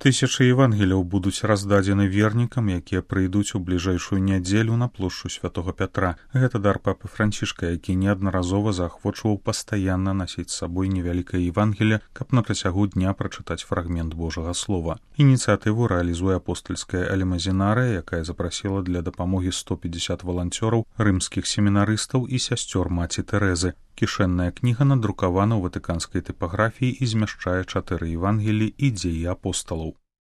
Тысячы евангеляў будуць раздадзены вернікам, якія прыйдуць у бліжэйшую нядзелю на плошчу святого Пятра. Гэта дар папы Францішка, які неаднаразова заахвочваў пастаянна насіць з сабой невялікае евангелле, каб на працягу дня прачытаць фрагмент Божага слова. Ініцыятыву рэалізуе апостальская алімазінарыя, якая запрасіла для дапамогі 150 валанцёраў, рымскіх семінарыстаў і сясцёр маці Тэрэзы. Кішэнная кніга надрукавана ў ватыканскай тыпаграфіі і змяшчае 4 евангелі і дзеі апосталаў.